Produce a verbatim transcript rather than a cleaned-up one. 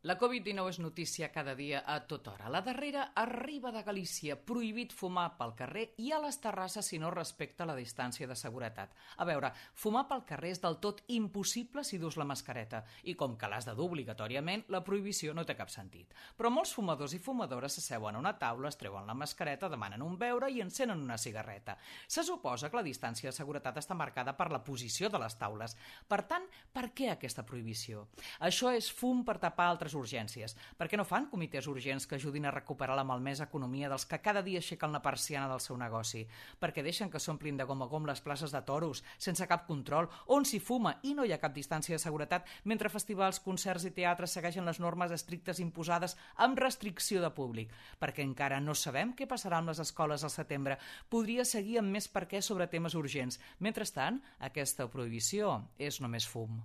La covid dinou és notícia cada dia a tota hora. La darrera arriba de Galícia, prohibit fumar pel carrer i a les terrasses si no respecta la distància de seguretat. A veure, fumar pel carrer és del tot impossible si dus la mascareta i com que l'has de dur obligatòriament, la prohibició no té cap sentit. Però molts fumadors i fumadores s'asseuen a una taula, es treuen la mascareta, demanen un beure i encenen una cigarreta. Se suposa que la distància de seguretat està marcada per la posició de les taules. Per tant, per què aquesta prohibició? Això és fum per tapar altres urgències. Per què no fan comitès urgents que ajudin a recuperar la malmesa economia dels que cada dia aixequen la persiana del seu negoci? Perquè deixen que s'omplin de gom a gom les places de toros, sense cap control, on s'hi fuma i no hi ha cap distància de seguretat, mentre festivals, concerts i teatres segueixen les normes estrictes imposades amb restricció de públic. Perquè encara no sabem què passarà amb les escoles al setembre. Podria seguir amb més per què sobre temes urgents. Mentrestant, aquesta prohibició és només fum.